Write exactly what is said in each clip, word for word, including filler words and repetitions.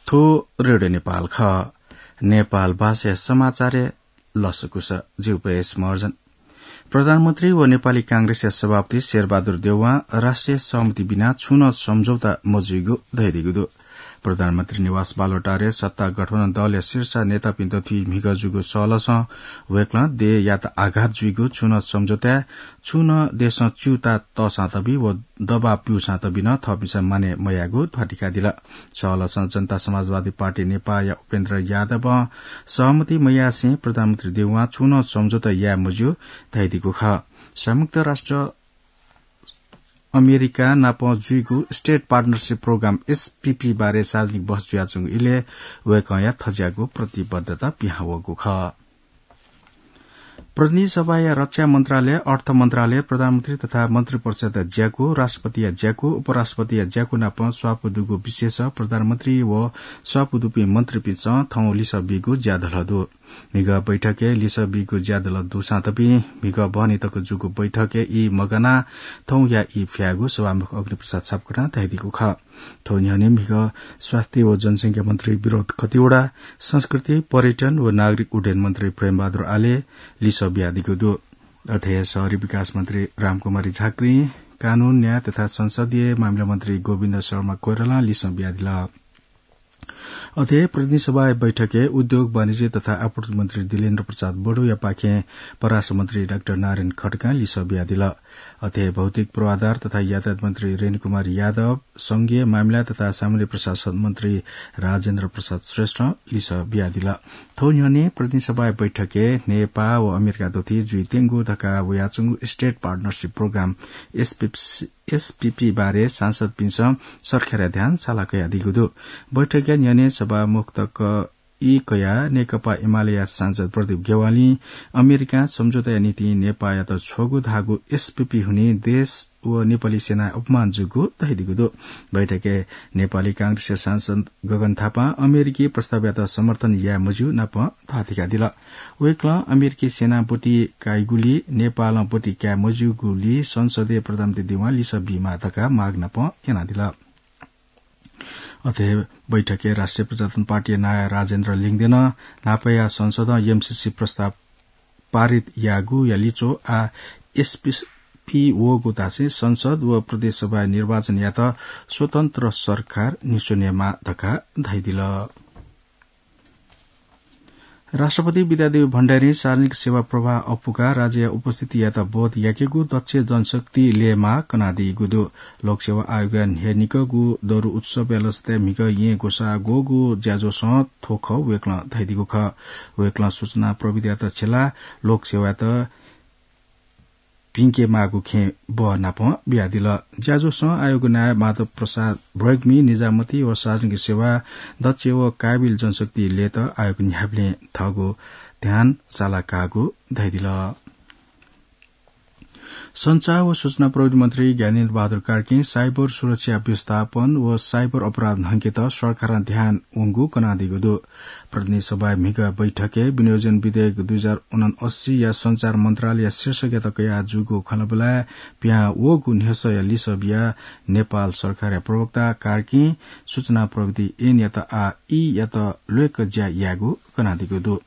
थ्व रेडियो नेपाल खः। नेपाल भाषाया समाचारय् लसकुस। जिगु पयस महर्जन। प्रधानमन्त्री व नेपाली कांग्रेसया सभापति शेरबहादुर देउवां राष्ट्रिय सहमति बिना छुं नं सम्झौता मजुइगु धयादीगु दु। प्रधानमन्त्री निवास बालुवाटारय् सत्ता गठबन्धन दलया शीर्ष नेतापिन्त थुइ म्हिगः जूगु सहलसं वय्कलं देय्‌यात आघात जुइगु छुं नं सम्झौताय् छुं नं देशं च्यूताः तःसां तबि व दबाब ब्यूसां तबि नं थःपिन्सं मानय् मयायेगु ध्वाथुइकादिल। सहलसं जनता समाजवादी पार्टी नेपाःया उपेन्द्र यादवं सहमति मयासें प्रधानमन्त्री देउवां छुं नं सम्झौता याये मज्यू धयादीगु खः। संयुक्त राष्ट्र अमेरिका नाप जुइगु State Partnership Program, एसपीपी, बारे सार्वजनिक बहस जुयाच्वंगु इलय् वय्कःया थज्याःगु प्रतिबद्धता पिहां वःगु खः। प्रतिनिधि सभाया रक्षा मन्त्रालय, अर्थ मन्त्रालय, प्रधानमन्त्री तथा मन्त्रिपरिषदया ज्याकू, राष्ट्रपतिया ज्याकू, उपराष्ट्रपतिया ज्याकू नाप स्वापू दुगु विषयस प्रधानमन्त्री व स्वापू दुपिं मन्त्रीपिन्सं थौं लिसः बीगु ज्याधलः दु। म्हिगः बैठकय् लिसः बीगु ज्याधलः दुसां तपिं म्हिगः बहनी तक जूगु बैठकय् ई मगानाः थौंया ई फ्याःगु सभामुख अग्निप्रसाद सापकोटां धयादीगु खः। थ्व न्ह्यःने म्हिगः स्वास्थ्य व जनसंख्या मन्त्री विनोद खतिवडा, संस्कृति, पर्यटन व नागरिक उड्डयन मन्त्री प्रेमबहादुर आले लिसः बियादीगु दु। अथे हे शहरी विकास मन्त्री रामकुमारी झाँक्री, कानून, न्याय तथा संसदीय मामिला मन्त्री गोविन्द शर्मा कोइरालां लिसः बियादिल। अथे हे प्रतिनिधि सभाया बैठकय् उद्योग, वाणिज्य तथा आपूर्ति मन्त्री दिलेन्द्र प्रसाद बडुयापाखें परराष्ट्र मन्त्री डाक्टर नारायण खड्कां लिसः बियादिल। अथे हे भौतिक पूर्वाधार तथा यातायात मन्त्री रेणुकुमार यादव, संघीय मामिला तथा सामान्य प्रशासन मन्त्री राजेन्द्र प्रसाद श्रेष्ठं लिसः बियादिल। थ्व न्ह्यःने प्रतिनिधि सभाया बैठकय् नेपाः व अमेरिका दथुइ जुइत्यंगु धकाः वयाच्वंगु State Partnership Program, SPP, SPP बारे सांसदपिन्सं सरकारया ध्यान साला कयादीगु दु। बैठकया न्ह्यःने सभामुख तक ई कयाः नेकपा एमालेया सांसद प्रदीप ज्ञवालीं अमेरिकां सम्झौताया निंतिं नेपाःयात छ्वःगु धाःगु एसपीपी हुनिं देश व नेपाली सेनाय् अपमान जूगु धयादीगु दु। बैठकय् नेपाली कांग्रेसया सांसद गगन थापां अमेरिकी प्रस्तावयात समर्थन याये मज्यू नाप ध्वाथुइकादिल। वय्कलं अमेरिकी सेनां ब्वति काइगुली नेपालं ब्वति काये मज्यूगुली संसदय् प्रधानमन्त्री देउवां लिसः बीमाः धकाः माग नाप यानादिल। अथे हे बैठकय् राष्ट्रिय प्रजातन्त्र पार्टीया नायः राजेन्द्र लिङदेनं न्हापाया संसदं एमसीसी प्रस्ताव पारित याःगुया लिच्वः आः एसपीपी वःगु धासें संसद व प्रदेश सभाया निर्वाचनयात स्वतन्त्र सरकार न्ह्यच्वनेमाः धकाः धयादिल। राष्ट्रपति विद्यादेवी भण्डारीं सार्वजनिक सेवा प्रवाह अप्वुकाः राज्यया उपस्थितियात बोध याकेगु दक्ष जनशक्ति लय्माः कनादीगु दु। लोकसेवा आयोगया न्हय्निकःगु दरु उत्सवया लसताय् म्हिगः येँ ग्वसाः ग्वःगु ज्याझ्वलय् थ्व खः वय्कलं धयादीगु खः। वय्कलं सूचना प्रविधियात छ्यलाः लोकसेवायात भिंकेमाःगु खँय् बः नाप बियादिल। ज्याझ्वलय् आयोगया नायः माधव प्रसाद भ्वय्कमिं निजामती व सार्वजनिक सेवाय् दक्ष व काबिल जनशक्ति लयेत आयोग न्ह्याबलें थःगु ध्यान साला काःगु धयादिल। सञ्चार व सूचना प्रविधि मन्त्री ज्ञानेन्द्र बहादुर कार्कीं साइबर सुरक्षा व्यवस्थापन व साइबर अपराध न्हंकेत सरकारं ध्यान वंगु कनादीगु दु। प्रतिनिधि सभाय् म्हिगः बैठकय् विनियोजन विधेयक दुई हजार उनअस्सीया सञ्चार मन्त्रालयया शीर्षकयात कयाः जूगु खँल्हाबल्हाय् पिहां वःगु न्ह्यसःया लिसः बियाः नेपाल सरकारया प्रवक्ता कार्कीं सूचना प्रविधि ऐनयात आः ईयात ल्वय्क ज्या यायेगु कनादीगु दु।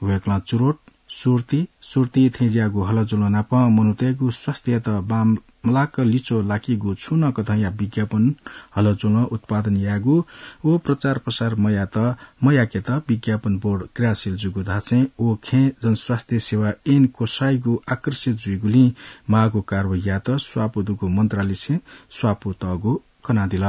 वय्कलं चुरोट, सुर्ती, सुर्ती थेंज्याःगु हलज्वलं नाप मनूतय्गु स्वास्थ्ययात बांमलाक लिच्वः लाकीगु छुं नं कथंया विज्ञापन हलज्वलं उत्पादन यायेगु व प्रचार प्रसार मयात, मयाकेत विज्ञापन बोर्ड क्रियाशील जूगु धासें व खँय् जनस्वास्थ्य सेवा ऐन क्वसाइगु आकर्षित जुइगुलिं माःगु कारवाहीयात स्वापू दुगु मन्त्रालयसें स्वापू तःगु कनादिल।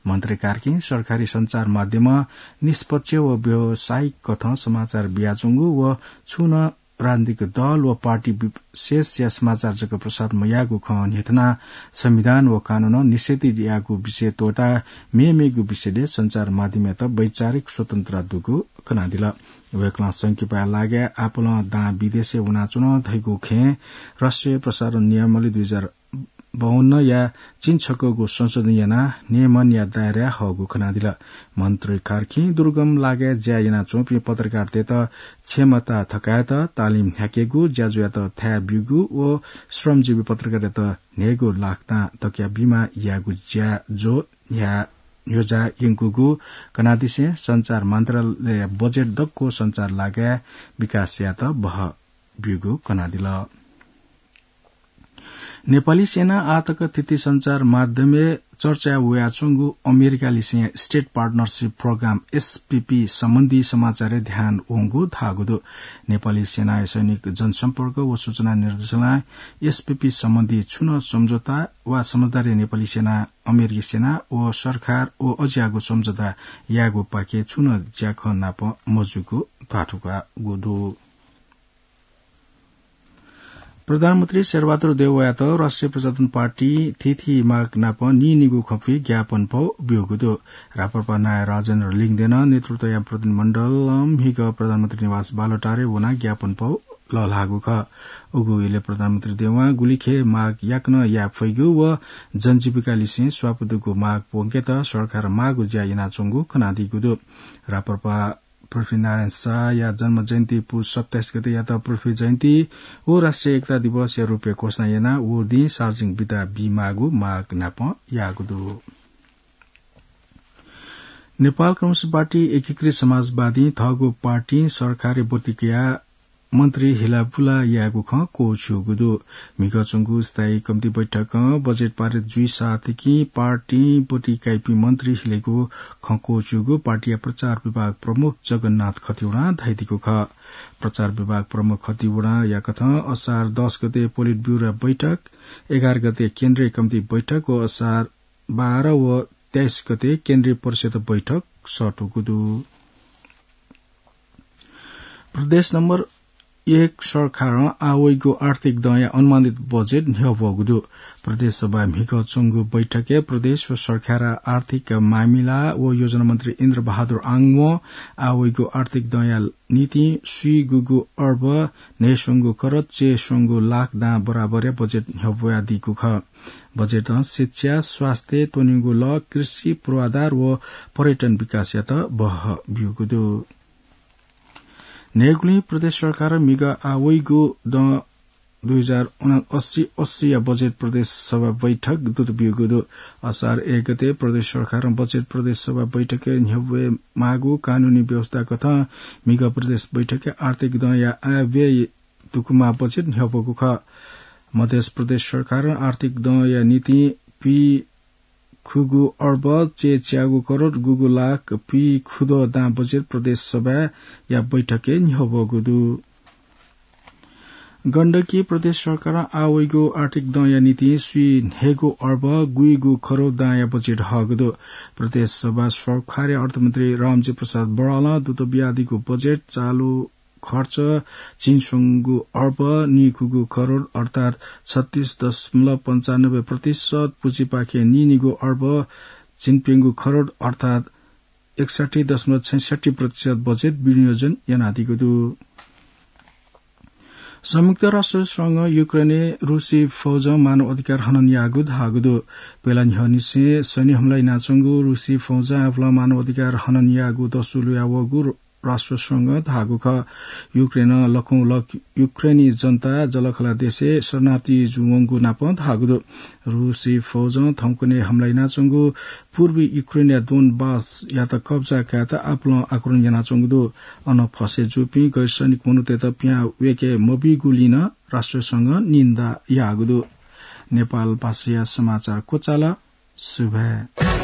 मन्त्री कार्कीं सरकारी सञ्चार माध्यमं निष्पक्ष व व्यावसायिक कथं समाचार बियाच्वंगु व छुं नं राजनीतिक दल व पार्टी विशेषया समाचार जक प्रसारण मयायेगु खँ न्ह्यथनाः संविधान व कानूनं निषेधित याःगु विषय त्वःताः मेमेगु विषयलय् सञ्चार माध्यमयात वैचारिक स्वतन्त्रता दुगु कनादिल। वय्कलं संकिपाया लागाय् आपालं दां विदेशय् वनाच्वन धइगु खँय् राष्ट्रिय प्रसारण नियमावली दुई हजार बाउन्नया चिनछकःगु संशोधन यानाः नियमनया दायराय् हःगु कनादिल। मन्त्री कार्कीं दुर्गम लागाय् ज्या यानाच्वंपिं पत्रकारतय्त क्षमता थकायेत तालिम न्ह्याकेगु, ज्याझ्वःयात थाय् ब्यूगु व श्रमजीवी पत्रकारतय्त न्हय्गू लाख तां तकया बिमा यायेगु ज्याझ्वः न्ह्याः न्ह्यज्यायंकूगु कनादिसें सञ्चार मन्त्रालय बजेट दक्व सञ्चार लागाय् विकास यायेत बहः ब्यूगु कनादिल। नेपाली सेना आःतक थीथी सञ्चार माध्यमय् चर्चाय् वयाच्वंगु अमेरिकालिसें State Partnership Program, एसपीपी, सम्बन्धी समाचारय् ध्यान वंगु धाःगु दु। नेपाली सेनाया सैनिक जनसम्पर्क व सूचना निर्देशनालयं एसपीपी सम्बन्धी छुं नं सम्झौता वा समझदारी नेपाली सेना, अमेरिकी सेना व सरकार व अज्याःगु सम्झौता यायेगु पाखे छुं नं ज्याखँ नाप मजूगु धाःथुइकागु दु। प्रधानमन्त्री शेरबहादुर देउवायात राष्ट्रिय प्रजातन्त्र पार्टी थीथी माग नाप नीनिगू खँपुइ ज्ञापन पौ ब्यूगु दु। राप्रपा नायः राजेन्द्र लिङदेन नेतृत्वया प्रतिनिधिमण्डलं म्हिगः प्रधानमन्त्री निवास बालुवाटारय् वनाः ज्ञापन पौ लःल्हाःगु खः। उगु इलय् प्रधानमन्त्री देउवां गुलिखे माग याकनं याये फइगु व जनजीविकालिसें स्वापू दुगु माग प्वंकेत सरकारं माःगु ज्या यानाच्वंगु कनादीगु दु। राप्रपा पृथ्वीनारायण शाहया जन्म जयन्ती पुस सत्ताइस गतेयात पृथ्वी जयन्ती व राष्ट्रिय एकता दिवसया रूपय् घोषणा यानाः व दिं सार्वजनिक बिदा बीमाःगु माग नाप याःगु दु। नेपाल कम्युनिस्ट पार्टी एकीकृत समाजवादीं थःगु पार्टीं सरकारी ब्वति कयाः मन्त्री हिलाबुला यायेगु खँ क्वःछ्यूगु दु। म्हिगः च्वंगु स्थायी कमिटी बैठकं बजेट पारित जुइसाथंनिसें पार्टीं ब्वति काइपिं मन्त्री हिलेगु खँ क्वःछ्यूगु पार्टीया प्रचार विभाग प्रमुख जगन्नाथ खतिवडां धयादीगु खः। प्रचार विभाग प्रमुख खतिवडाया कथं असार दस गते पोलिट ब्यूरो बैठक, एघार गते केन्द्रीय कमिटी बैठक व असार बाह्र व तेइस गते केन्द्रीय परिषद बैठक सःतूगु दु। प्रदेश नम्बर एक सरकारं आः वइगु आर्थिक दँया अनुमानित बजेट न्ह्यब्वःगु दु। प्रदेश सभाय् म्हिगः च्वंगु बैठकय् प्रदेश व सरकारया आर्थिक मामिला व योजना मन्त्री इन्द्र बहादुर आङवं आः वइगु आर्थिक दँया निंतिं स्वीगुगु अर्ब न्हय्स्वंगु करोड चय्स्वंगु लाख दां बराबरया बजेट न्ह्यब्वयादीगु खः। बजेटं शिक्षा, स्वास्थ्य, त्वनेगु लः, कृषि, पूर्वाधार व पर्यटन विकासयात बहः ब्यूगु दु। न्हय्गुलिं प्रदेश सरकारं म्हिगः आः वइगु दँ दुई हजार उनासी अस्सीया बजेट प्रदेश सभा बैठक दुत ब्यूगु दु। असार एक गते प्रदेश सरकारं बजेट प्रदेश सभा बैठकय् न्ह्यब्वयेमाःगु कानूनी व्यवस्था कथं म्हिगः प्रदेश बैठकय् आर्थिक दँया आयव्यय दुकूमाः बजेट न्ह्यब्वःगु खः। मधेस प्रदेश सरकारं आर्थिक दँया निंतिं पीखुगू अर्ब चय्च्यागू करोड गुगू लाख पीखुद्वः दां बजेट प्रदेश सभाया बैठकय् न्ह्यब्वःगु दु। गण्डकी प्रदेश सरकारं आः वइगु आर्थिक दँया निंतिं स्वीन्हय्गू अर्ब गुइगू करोड दांया बजेट हःगु दु। प्रदेश सभा सरकारया अर्थमन्त्री रामजी प्रसाद बरालं दुत बियादीगु बजेट चालु खर्च झिंस्वंगू अर्ब नीखुगू करोड अर्थात् छत्तीस दशमलव पन्चानब्बे प्रतिशत, पुँजीपाखें नीनिगू अर्ब झिंप्यंगू करोड अर्थात् एकसट्ठी दशमलव छैसट्ठी प्रतिशत बजेट विनियोजन यानादीगु दु। संयुक्त राष्ट्र संघं युक्रेनय् रूसी फौजं मानव अधिकार हनन याःगु धाःगु दु। बेला न्ह्यःनिसें सैन्य हमला यानाच्वंगु रूसी फौजं आपालं मानव अधिकार हनन याःगु दसु लुयावःगु राष्ट्र संघं धाःगु खः। युक्रेनं लखौं लख युक्रेनी जनता जःलाखःला देशय् शरणार्थी जुयावंगु नापं धाःगु दु। रूसी फौजं थौंकन्हय् हमला यानाच्वंगु पूर्वी युक्रेनया दोनबासयात कब्जा कायेत आपालं आक्रमण यानाच्वंगु दु। अन फसय् जूपिं गैर सैनिक मनूतय्त पिहां वय्के मबीगुलिं नं राष्ट्र संघं निन्दा याःगु दु। नेपाल भाषाया समाचार क्वचाल। सुभाय्।